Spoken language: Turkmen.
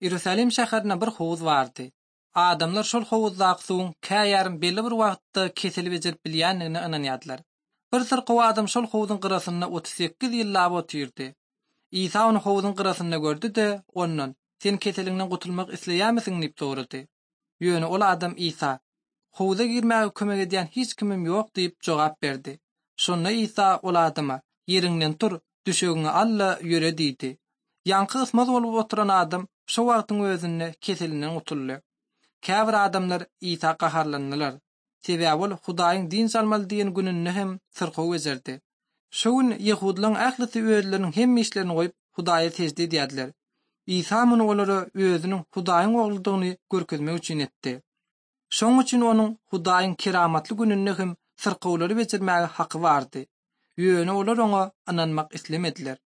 Iýerusalim şäherinde bir howuz bardy. Adamlar şol howuzdaky suwuň käýarym belli bir wagtda keseli bejerip bilýändigine ynanýardylar. Bir syrkaw adam şol howzuň gyrasynda 38 ýyllap otyrdy. Isa ony howzuň gyrasynda gördi-de, ondan, Sen keseliňden gutulmak isleýärmisiň diýip sorady. Ýöne ol adam Isa, Howza girmäge kömek edýän hiç kimim ýok diýip jogap berdi. Şonda Isa ol adama, Ýeriňden tur, düşegiňi al-da, ýöre diýdi. Ýaňky ysmaz bolup oturan adam şo wagtyň özünde keselinden gutuldy. Käbir adamlar Isa gaharlandylar. Sebäbi ol Hudaýyň dynç almaly diýen gününde hem syrkaw bejerdi. Şo gün ýehudylaryň ählisi özleriniň hemme işlerini goýup, Hudaýa sežde edýärdiler. Isa muny olara özüniň Hudaýyň Ogludygyny görkezmek üçin etdi. Şonuň üçin onuň Hudaýyň keramatly gününde hem syrkawlary bejermäge haky bardy. Ýöne olar oňa ynanmak islemediler.